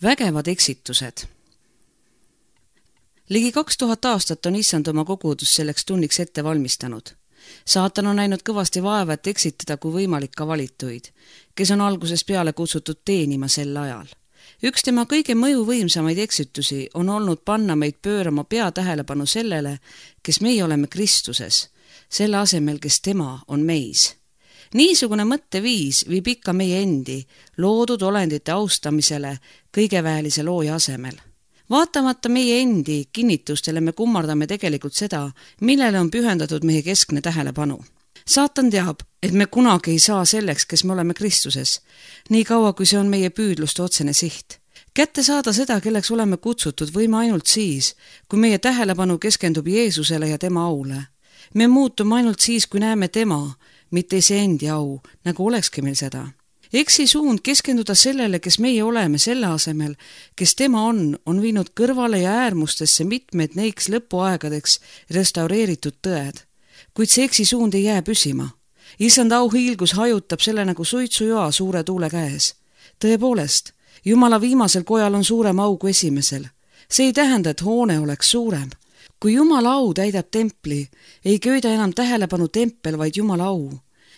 Vägevad eksitused. Ligi 2000 aastat on issand oma kogudus selleks tunniks ette valmistanud. Saatan on näinud kõvasti vaeva, et eksitada kui võimalik ka valituid, kes on algusest peale kutsutud teenima sel ajal. Üks tema kõige mõjuvõimsamaid eksitusi on olnud panna meid pöörama peatähelepanu sellele, kes meie oleme Kristuses, selle asemel, kes tema on meis. Niisugune mõtteviis viib ikka meie endi, loodud olendite austamisele kõigeväelise looja asemel. Vaatamata meie endi kinnitustele me kummardame tegelikult seda, millele on pühendatud meie keskne tähelepanu. Saatan teab, et me kunagi ei saa selleks, kes me oleme Kristuses, nii kaua kui see on meie püüdluste otsene siht. Kätte saada seda, kelleks oleme kutsutud, võime ainult siis, kui meie tähelepanu keskendub Jeesusele ja tema aule. Me muutume ainult siis, kui näeme tema, mitte iseendi au, nagu olekski meil seda. Eksi suund keskenduda sellele, kes meie oleme selle asemel, kes tema on viinud kõrvale ja äärmustesse mitmed neiks lõpuaegadeks restaureeritud tõed. Kuid see eksi suund ei jää püsima. Issand auhiilgus hajutab selle nagu suitsujoa suure tuule käes. Tõepoolest, Jumala viimasel kojal on suurem au kui esimesel. See ei tähenda, et hoone oleks suurem. Kui Jumala au täidab templi, ei köida enam tähelepanu tempel, vaid Jumala au.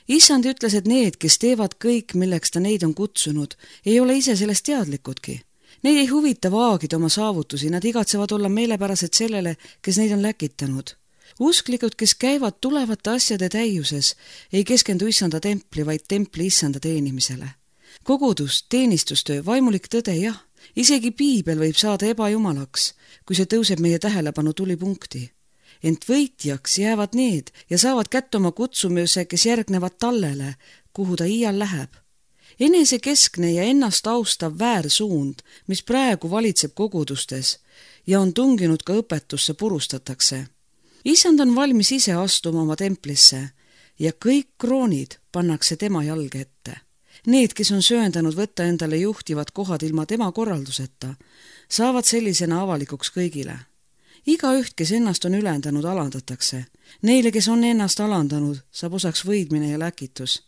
Issand ütles, et need, kes teevad kõik, milleks ta neid on kutsunud, ei ole ise sellest teadlikudki. Neid ei huvita vaagida oma saavutusi, nad igatsevad olla meelepärased sellele, kes neid on läkitanud. Usklikud, kes käivad tulevate asjade täiuses, ei keskendu issanda templi, vaid templi issanda teenimisele. Kogudus, teenistustöö, vaimulik tõde, jah, isegi piibel võib saada ebajumalaks, kui see tõuseb meie tähelepanu tulipunkti. Ent võitjaks jäävad need ja saavad kätte oma kutsumuse, kes järgnevad tallele, kuhu ta iial läheb. Enesekeskne ja ennast austav väärsuund, mis praegu valitseb kogudustes ja on tunginud ka õpetusse, purustatakse. Issand on valmis ise astuma oma templisse ja kõik kroonid pannakse tema jalge ette. Need, kes on sööndanud võtta endale juhtivad kohad ilma tema korralduseta, saavad sellisena avalikuks kõigile. Igaüht, kes ennast on ülendanud, alandatakse. Neile, kes on ennast alandanud, saab osaks võidmine ja läkitus.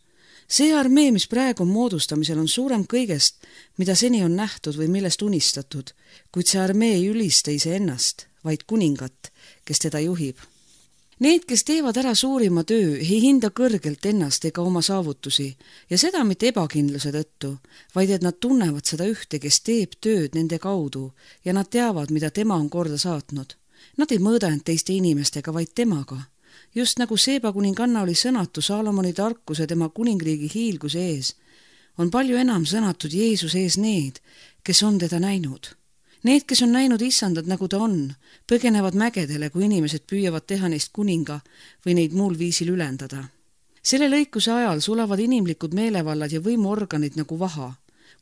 See armee, mis praegu on moodustamisel, on suurem kõigest, mida seni on nähtud või millest unistatud, kuid see armee ei ülista iseennast, vaid kuningat, kes teda juhib. Need, kes teevad ära suurima töö, ei hinda kõrgelt ennast ega oma saavutusi ja seda mitte ebakindluse tõttu, vaid et nad tunnevad seda ühte, kes teeb tööd nende kaudu ja nad teavad, mida tema on korda saatnud. Nad ei mõõda end teiste inimestega, vaid temaga. Just nagu Seeba kuninganna oli sõnatu Saalomoni tarkuse tema kuningriigi hiilguse ees, on palju enam sõnatud Jeesus ees need, kes on teda näinud. Need, kes on näinud issandat, nagu ta on, põgenevad mägedele, kui inimesed püüavad teha neist kuninga või neid muul viisil ülendada. Selle lõikuse ajal sulavad inimlikud meelevallad ja võimuorganid nagu vaha.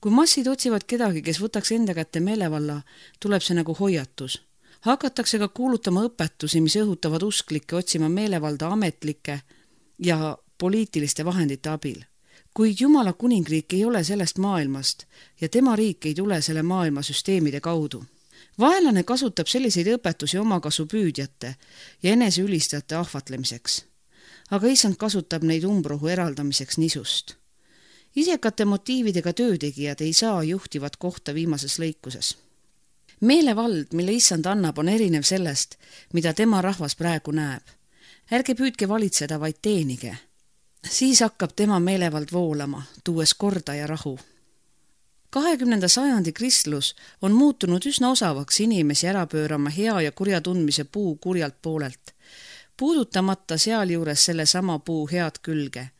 Kui massid otsivad kedagi, kes võtaks enda kätte meelevalla, tuleb see nagu hoiatus. Hakatakse ka kuulutama õpetusi, mis õhutavad usklikke otsima meelevalda ametlike ja poliitiliste vahendite abil. Kuid Jumala kuningriik ei ole sellest maailmast ja tema riik ei tule selle maailma süsteemide kaudu. Vaenlane kasutab selliseid õpetusi omakasu püüdjate ja eneseülistajate ahvatlemiseks. Aga issand kasutab neid umbrohu eraldamiseks nisust. Isekate motiividega töötegijad ei saa juhtivat kohta viimases lõikuses. Meelevald, mille issand annab, on erinev sellest, mida tema rahvas praegu näeb. Ärge püüdke valitseda, vaid teenige. Siis hakkab tema meelevald voolama, tuues korda ja rahu. 20. sajandi kristlus on muutunud üsna osavaks inimesi ära pöörama hea ja kurja tundmise puu kurjalt poolelt, puudutamata sealjuures selle sama puu head külge,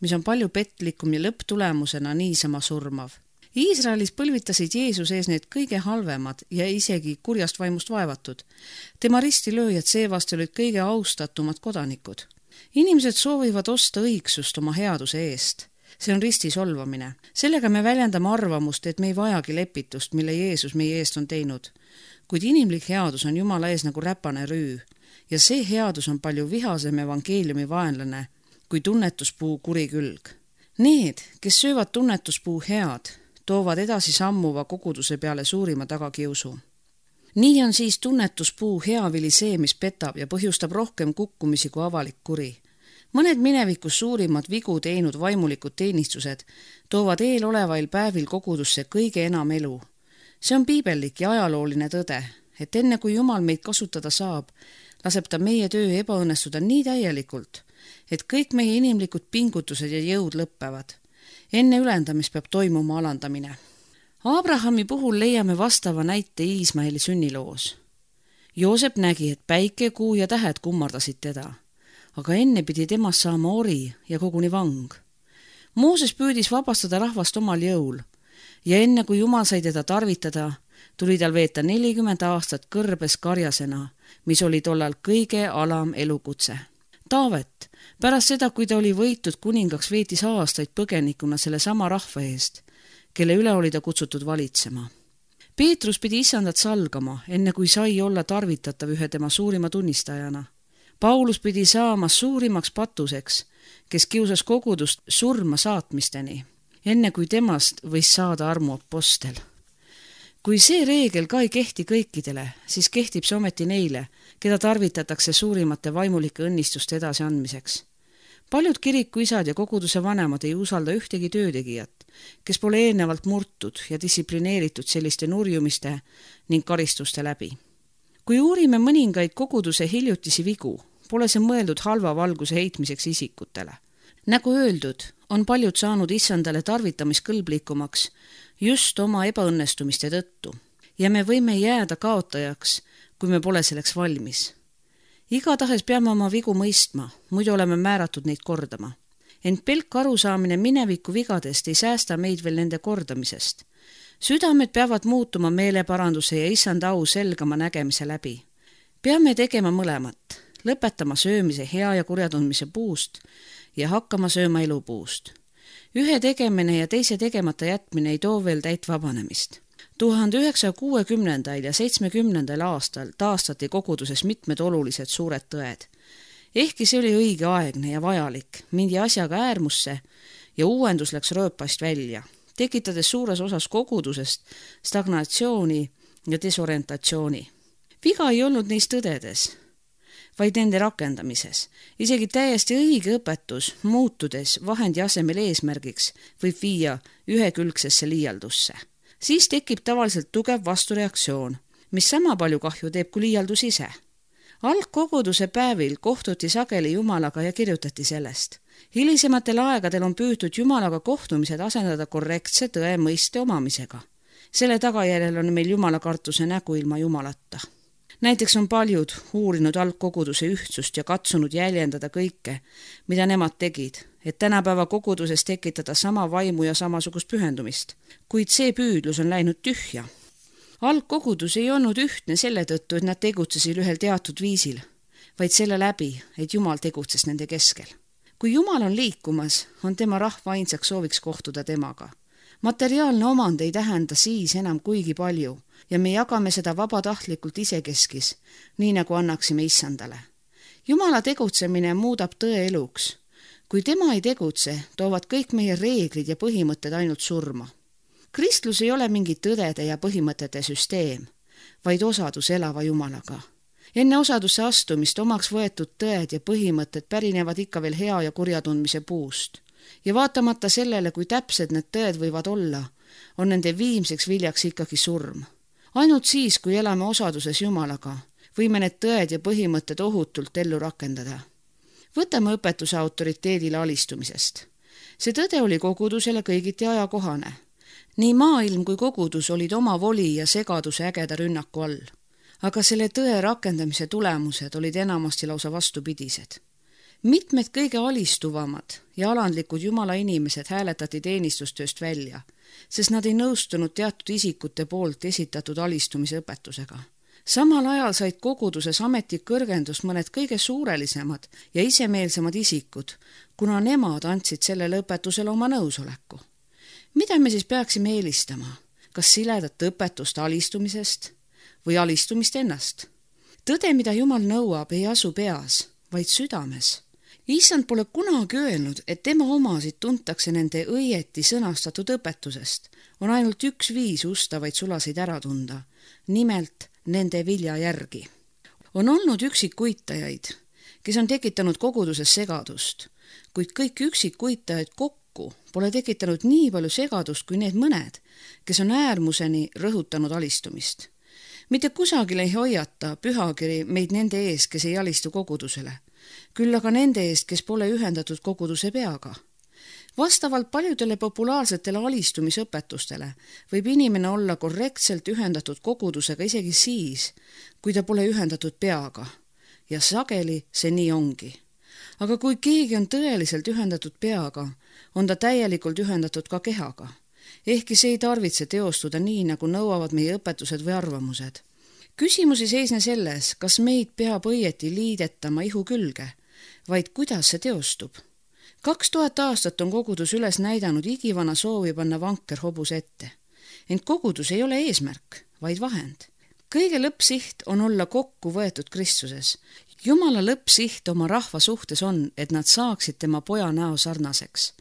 mis on palju petlikum ja lõpptulemusena niisama surmav. Iisraelis põlvitasid Jeesus ees need kõige halvemad ja isegi kurjast vaimust vaevatud. Tema ristilööjad seevast olid kõige austatumad kodanikud. Inimesed soovivad osta õigsust oma headuse eest. See on risti solvamine. Sellega me väljendame arvamust, et me ei vajagi lepitust, mille Jeesus meie eest on teinud. Kuid inimlik headus on Jumala ees nagu räpane rüü ja see headus on palju vihasem evangeeliumi vaenlane kui tunnetuspuu kuri külg. Need, kes söövad tunnetuspuu head, toovad edasi sammuva koguduse peale suurima tagakiusu. Nii on siis tunnetuspuu hea vili see, mis petab ja põhjustab rohkem kukkumisi kui avalik kuri. Mõned minevikus suurimad vigu teinud vaimulikud teenistused toovad eelolevail päevil kogudusse kõige enam elu. See on piibellik ja ajalooline tõde, et enne kui Jumal meid kasutada saab, laseb ta meie töö ebaõnnestuda nii täielikult, et kõik meie inimlikud pingutused ja jõud lõppevad. Enne ülendamist peab toimuma alandamine. Abrahami puhul leiame vastava näite Iismaeli sünniloos. Joosep nägi, et päike, kuu ja tähed kummardasid teda, aga enne pidi temast saama ori ja koguni vang. Mooses püüdis vabastada rahvast omal jõul ja enne kui Jumal sai teda tarvitada, tuli tal veeta 40 aastat kõrbes karjasena, mis oli tollal kõige alam elukutse. Taavet, pärast seda, kui ta oli võitud kuningaks, veetis aastaid põgenikuna selle sama rahva eest, kelle üle oli ta kutsutud valitsema. Peetrus pidi issandat salgama, enne kui sai olla tarvitatav ühe tema suurima tunnistajana. Paulus pidi saama suurimaks patuseks, kes kiusas kogudust surma saatmisteni, enne kui temast võis saada armuapostel. Kui see reegel ka ei kehti kõikidele, siis kehtib see ometi neile, keda tarvitatakse suurimate vaimulike õnnistuste edasiandmiseks. Paljud kirikuisad ja koguduse vanemad ei usalda ühtegi töötegijat, kes pole eelnevalt murtud ja distsiplineeritud selliste nurjumiste ning karistuste läbi. Kui uurime mõningaid koguduse hiljutisi vigu, pole see mõeldud halva valguse heitmiseks isikutele. Nagu öeldud, on paljud saanud issandale tarvitamiskõlblikumaks just oma ebaõnnestumiste tõttu ja me võime jääda kaotajaks, kui me pole selleks valmis. Igatahes peame oma vigu mõistma, muidu oleme määratud neid kordama. Ent pelk arusaamine mineviku vigadest ei säästa meid veel nende kordamisest. Südamed peavad muutuma meeleparanduse ja issanda au selgama nägemise läbi. Peame tegema mõlemat, lõpetama söömise hea ja kurja tundmise puust ja hakkama sööma elupuust. Ühe tegemine ja teise tegemata jätmine ei too veel täit vabanemist. 1960. ja 70. aastal taastati koguduses mitmed olulised suured tõed. Ehkki see oli õigeaegne ja vajalik, mindi asjaga äärmusse ja uuendus läks rööpast välja, tekitades suures osas kogudusest stagnatsiooni ja desorientatsiooni. Viga ei olnud neis tõdedes, vaid nende rakendamises. Isegi täiesti õige õpetus, muutudes vahendi asemel eesmärgiks, võib viia ühekülgsesse liialdusse. Siis tekib tavaliselt tugev vastureaktsioon, mis sama palju kahju teeb kui liialdus ise. Algkoguduse päevil kohtuti sageli Jumalaga ja kirjutati sellest. Hilisematel aegadel on püütud Jumalaga kohtumised asendada korrektse tõe mõiste omamisega. Selle tagajärjel on meil Jumalakartuse nägu ilma Jumalata. Näiteks on paljud uurinud algkoguduse ühtsust ja katsunud jäljendada kõike, mida nemad tegid, et tänapäeva koguduses tekitada sama vaimu ja samasugust pühendumist. Kuid see püüdlus on läinud tühja. Algkogudus ei olnud ühtne selle tõttu, et nad tegutsesid ühel teatud viisil, vaid selle läbi, et Jumal tegutses nende keskel. Kui Jumal on liikumas, on tema rahva ainsaks sooviks kohtuda temaga. Materiaalne omand ei tähenda siis enam kuigi palju ja me jagame seda vabatahtlikult isekeskis, nii nagu annaksime issandale. Jumala tegutsemine muudab tõe eluks. Kui tema ei tegutse, toovad kõik meie reeglid ja põhimõtted ainult surma. Kristlus ei ole mingi tõdede ja põhimõtete süsteem, vaid osadus elava Jumalaga. Enne osadusse astumist omaks võetud tõed ja põhimõtted pärinevad ikka veel hea ja kurja tundmise puust. Ja vaatamata sellele, kui täpsed need tõed võivad olla, on nende viimseks viljaks ikkagi surm. Ainult siis, kui elame osaduses Jumalaga, võime need tõed ja põhimõtted ohutult ellu rakendada. Võtame õpetuse autoriteedile alistumisest. See tõde oli kogudusele kõigiti ajakohane. Nii maailm kui kogudus olid oma voli ja segaduse ägeda rünnaku all. Aga selle tõe rakendamise tulemused olid enamasti lausa vastupidised. Mitmed kõige alistuvamad ja alandlikud Jumala inimesed hääletati teenistustööst välja, sest nad ei nõustunud teatud isikute poolt esitatud alistumise õpetusega. Samal ajal said koguduses ametikõrgendust mõned kõige suurelisemad ja isemeelsemad isikud, kuna nemad andsid sellele õpetusele oma nõusoleku. Mida me siis peaksime eelistama? Kas siledat õpetust alistumisest või alistumist ennast? Tõde, mida Jumal nõuab, ei asu peas, vaid südames. Issand pole kunagi öelnud, et tema omasid tuntakse nende õieti sõnastatud õpetusest. On ainult üks viis ustavaid sulasid ära tunda, nimelt nende vilja järgi. On olnud üksikuitajaid, kes on tekitanud koguduses segadust, kuid kõik üksikuitajad kokku kokku pole tekitanud nii palju segadust kui need mõned, kes on äärmuseni rõhutanud alistumist. Mitte kusagil ei hoiata pühakiri meid nende eest, kes ei alistu kogudusele, küll aga nende eest, kes pole ühendatud koguduse peaga. Vastavalt paljudele populaarsetele alistumisõpetustele võib inimene olla korrektselt ühendatud kogudusega isegi siis, kui ta pole ühendatud peaga. Ja sageli see nii ongi. Aga kui keegi on tõeliselt ühendatud peaga, on ta täielikult ühendatud ka kehaga. Ehkki see ei tarvitse teostuda nii, nagu nõuavad meie õpetused või arvamused. Küsimus ei seisne selles, kas meid peab õieti liidetama ihu külge, vaid kuidas see teostub. 2000 aastat on kogudus üles näidanud igivana soovi panna vanker hobuse ette. Ent kogudus ei ole eesmärk, vaid vahend. Kõige lõppsiht on olla kokku võetud Kristuses. Jumala lõppsiht oma rahva suhtes on, et nad saaksid tema poja näo sarnaseks.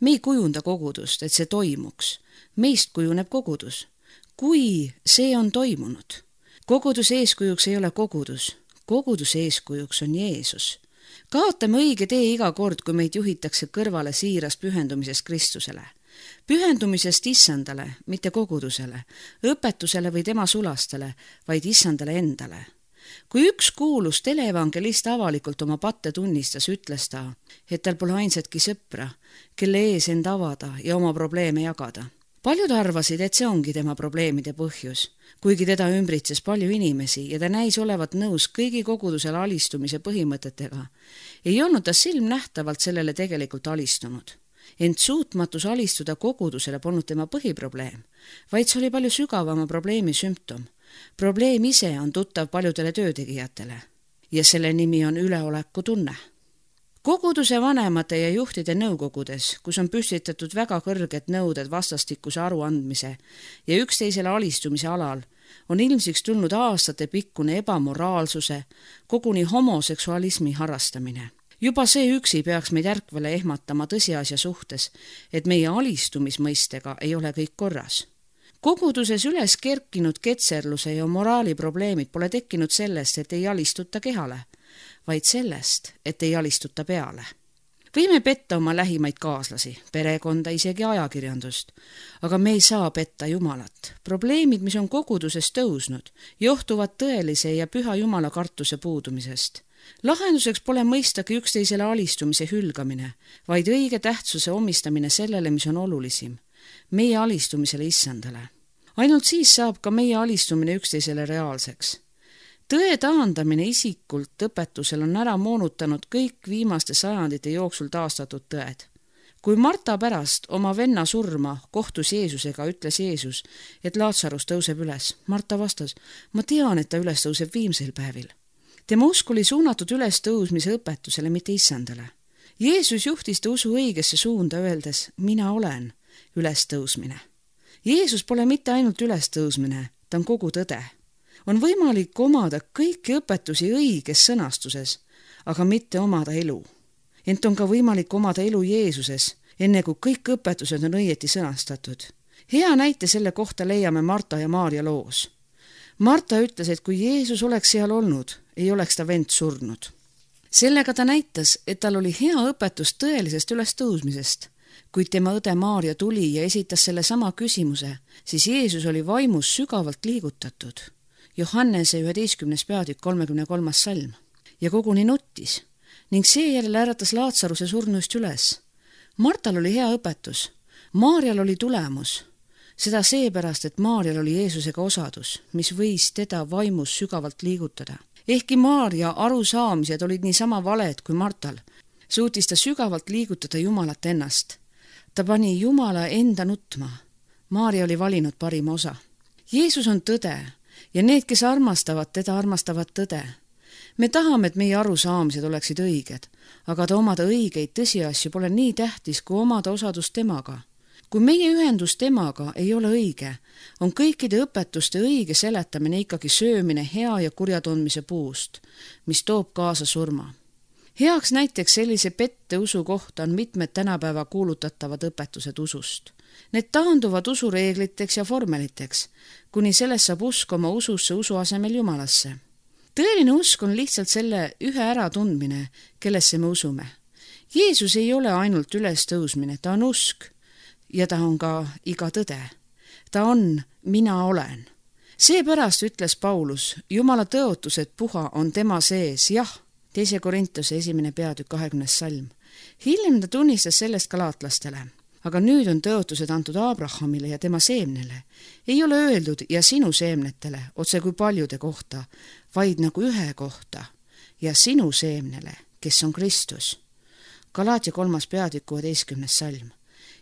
Me ei kujunda kogudust, et see toimuks. Meist kujuneb kogudus. Kui see on toimunud. Koguduse eeskujuks ei ole kogudus. Koguduse eeskujuks on Jeesus. Kaotame õige tee iga kord, kui meid juhitakse kõrvale siirast pühendumisest Kristusele. Pühendumisest Issandale, mitte kogudusele, õpetusele või tema sulastele, vaid Issandale endale. Kui üks kuulus teleevangelist avalikult oma patte tunnistas, ütles ta, et tal pole ainsatki sõpra, kelle ees end avada ja oma probleeme jagada. Paljud arvasid, et see ongi tema probleemide põhjus, kuigi teda ümbritses palju inimesi ja ta näis olevat nõus kõigi kogudusele alistumise põhimõtetega. Ei olnud ta silmnähtavalt sellele tegelikult alistunud. Ent suutmatus alistuda kogudusele polnud tema põhiprobleem, vaid see oli palju sügavama probleemi sümptom. Probleem ise on tuttav paljudele töötegijatele ja selle nimi on üleoleku tunne. Koguduse vanemate ja juhtide nõukogudes, kus on püstitatud väga kõrged nõuded vastastikuse aruandmise ja üksteisele alistumise alal, on ilmsiks tulnud aastate pikkune ebamoraalsuse, koguni homoseksualismi harrastamine. Juba see üksi peaks meid ärkvele ehmatama tõsiasja suhtes, et meie alistumismõistega ei ole kõik korras. Koguduses üles kerkinud ketserluse ja moraali probleemid pole tekkinud sellest, et ei alistuta kehale, vaid sellest, et ei alistuta peale. Võime petta oma lähimaid kaaslasi, perekonda, isegi ajakirjandust, aga me ei saa petta Jumalat. Probleemid, mis on koguduses tõusnud, johtuvad tõelise ja püha Jumala kartuse puudumisest. Lahenduseks pole mõistagi üksteisele alistumise hülgamine, vaid õige tähtsuse omistamine sellele, mis on olulisim, meie alistumisele Issandale. Ainult siis saab ka meie alistumine üksteisele reaalseks. Tõe taandamine isikult õpetusel on ära moonutanud kõik viimaste sajandite jooksul taastatud tõed. Kui Marta pärast oma venna surma kohtus Jeesusega, ütles Jeesus, et Laatsarus tõuseb üles. Marta vastas, ma tean, et ta üles tõuseb viimsel päevil. Tema usk oli suunatud üles tõusmise õpetusele, mitte Issandale. Jeesus juhtis ta usu õigesse suunda, öeldes, mina olen ülestõusmine. Jeesus pole mitte ainult ülestõusmine, ta on kogu tõde. On võimalik omada kõiki õpetusi õiges sõnastuses, aga mitte omada elu. Ent on ka võimalik omada elu Jeesuses, enne kui kõik õpetused on õieti sõnastatud. Hea näite selle kohta leiame Marta ja Maarja loos. Marta ütles, et kui Jeesus oleks seal olnud, ei oleks ta vend surnud. Sellega ta näitas, et tal oli hea õpetus tõelisest ülestõusmisest. Kuid tema õde Maarja tuli ja esitas selle sama küsimuse, siis Jeesus oli vaimus sügavalt liigutatud. Johannese 11. peatükk 33. salm ja koguni nuttis ning seejärel äratas Laatsaruse surnuist üles. Martal oli hea õpetus, Maarjal oli tulemus, seda seepärast, et Maarjal oli Jeesusega osadus, mis võis teda vaimus sügavalt liigutada. Ehkki Maarja arusaamised olid niisama valed kui Martal, suutis ta sügavalt liigutada Jumalat ennast. Ta pani Jumala enda nutma. Maarja oli valinud parima osa. Jeesus on tõde ja need, kes armastavad teda, armastavad tõde. Me tahame, et meie arusaamised oleksid õiged, aga omada õigeid tõsiasju pole nii tähtis, kui omada osadust temaga. Kui meie ühendus temaga ei ole õige, on kõikide õpetuste õige seletamine ikkagi söömine hea ja kurja tundmise puust, mis toob kaasa surma. Heaks näiteks sellise pette usu kohta on mitmed tänapäeva kuulutatavad õpetused usust. Need taanduvad usureegliteks ja formeliteks, kuni sellest saab usk oma ususse usu asemel Jumalasse. Tõeline usk on lihtsalt selle ühe äratundmine, kellesse me usume. Jeesus ei ole ainult ülestõusmine, ta on usk ja ta on ka iga tõde. Ta on mina olen. Seepärast ütles Paulus, Jumala tõotused puha on tema sees, jah, 2. Korintuse 1. peatükk 20. salm. Hiljem ta tunnistas sellest galaatlastele. Aga nüüd on tõotused antud Abrahamile ja tema seemnele. Ei ole öeldud ja sinu seemnetele, otse kui paljude kohta, vaid nagu ühe kohta ja sinu seemnele, kes on Kristus. Galaatia 3. peatükk 16. salm.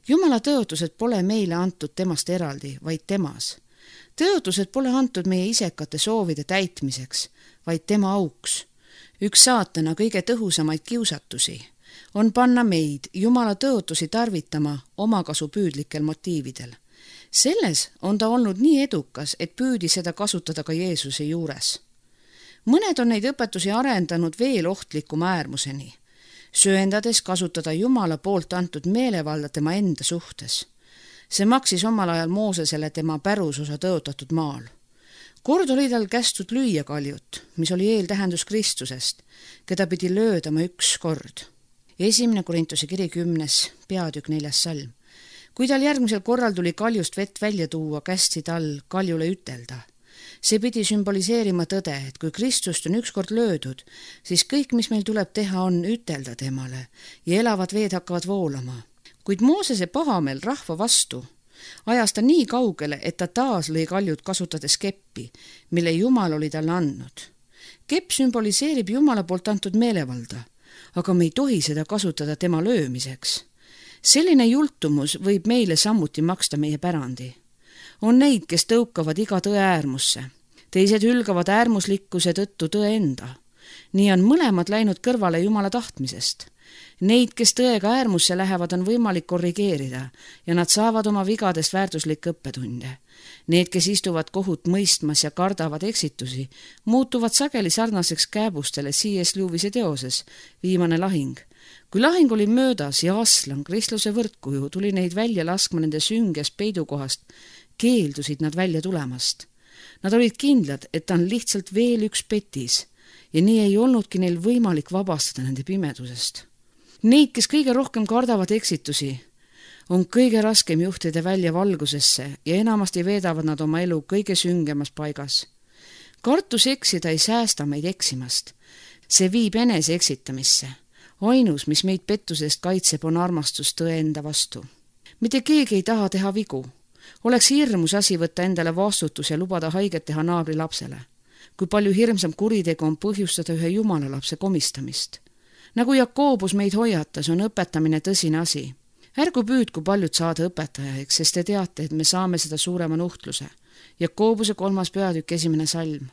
Jumala tõotused pole meile antud temast eraldi, vaid temas. Tõotused pole antud meie isekate soovide täitmiseks, vaid tema auks. Üks saatana kõige tõhusamaid kiusatusi on panna meid Jumala tõotusi tarvitama omakasupüüdlikel motiividel. Selles on ta olnud nii edukas, et püüdi seda kasutada ka Jeesuse juures. Mõned on neid õpetusi arendanud veel ohtlikuma äärmuseni, sööndades kasutada Jumala poolt antud meelevalda tema enda suhtes. See maksis omal ajal Moosesele tema pärusosa tõotatud maal. Kord oli tal kästud lüüa kaljut, mis oli eeltähendus Kristusest, keda pidi löödama üks kord. 1. Korintuse kiri 10. peatükk 4. salm. Kui tal järgmisel korral tuli kaljust vett välja tuua, kästi tal kaljule ütelda. See pidi sümboliseerima tõde, et kui Kristust on ükskord löödud, siis kõik, mis meil tuleb teha, on ütelda temale ja elavad veed hakkavad voolama. Kuid Moosese pahameel rahva vastu ajas ta nii kaugele, et ta taas lõi kaljud kasutades keppi, mille Jumal oli talle andnud. Kepp sümboliseerib Jumala poolt antud meelevalda, aga me ei tohi seda kasutada tema löömiseks. Selline jultumus võib meile samuti maksta meie pärandi. On neid, kes tõukavad iga tõe äärmusse. Teised hülgavad äärmuslikkuse tõttu tõe enda. Nii on mõlemad läinud kõrvale Jumala tahtmisest. Neid, kes tõega äärmusse lähevad, on võimalik korrigeerida ja nad saavad oma vigadest väärtuslikke õppetunde. Need, kes istuvad kohut mõistmas ja kardavad eksitusi, muutuvad sageli sarnaseks kääbustele C.S. Lewise teoses Viimane lahing. Kui lahing oli möödas ja aslan, kristluse võrdkuju, tuli neid välja laskma nende süngest peidukohast, keeldusid nad välja tulemast. Nad olid kindlad, et ta on lihtsalt veel üks petis ja nii ei olnudki neil võimalik vabastada nende pimedusest. Neid, kes kõige rohkem kardavad eksitusi, on kõige raskem juhtida välja valgusesse ja enamasti veedavad nad oma elu kõige süngemas paigas. Kartus eksida ei säästa meid eksimast. See viib enese eksitamisse. Ainus, mis meid pettusest kaitseb, on armastus tõe enda vastu. Mitte keegi ei taha teha vigu. Oleks hirmus asi võtta endale vastutus ja lubada haiget teha naabri lapsele. Kui palju hirmsam kuritegu on põhjustada ühe Jumala lapse komistamist. Nagu Jakobus meid hoiatas, on õpetamine tõsine asi. Ärgu püüdku paljud saada õpetajaiks, sest te teate, et me saame seda suurema nuhtluse. Jakobuse 3. peatükk 1. salm.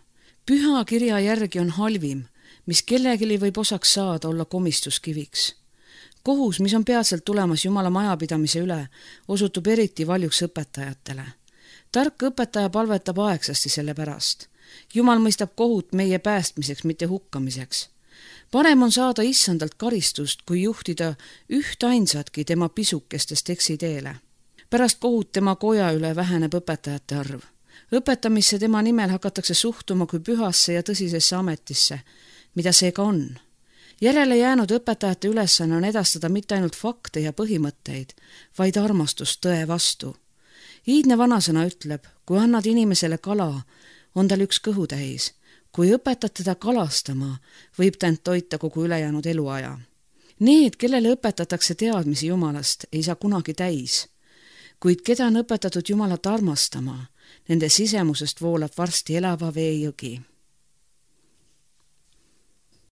Püha kirja järgi on halvim, mis kellegili võib osaks saada olla komistuskiviks. Kohus, mis on peatselt tulemas Jumala majapidamise üle, osutub eriti valjuks õpetajatele. Tark õpetaja palvetab aegsasti selle pärast. Jumal mõistab kohut meie päästmiseks, mitte hukkamiseks. Parem on saada issandalt karistust, kui juhtida ühtainsatki tema pisukestest eksiteele. Pärast kohut tema koja üle väheneb õpetajate arv. Õpetamisse tema nimel hakatakse suhtuma kui pühasse ja tõsisesse ametisse, mida see ka on. Järele jäänud õpetajate ülesanne on edastada mitte ainult fakte ja põhimõtteid, vaid armastust tõe vastu. Iidne vanasõna ütleb, kui annad inimesele kala, on tal üks kõhutäis. Kui õpetad teda kalastama, võib ta end toita kogu ülejäänud eluaja. Need, kellele õpetatakse teadmisi Jumalast, ei saa kunagi täis. Kuid keda on õpetatud Jumalat armastama, nende sisemusest voolab varsti elava veejõgi.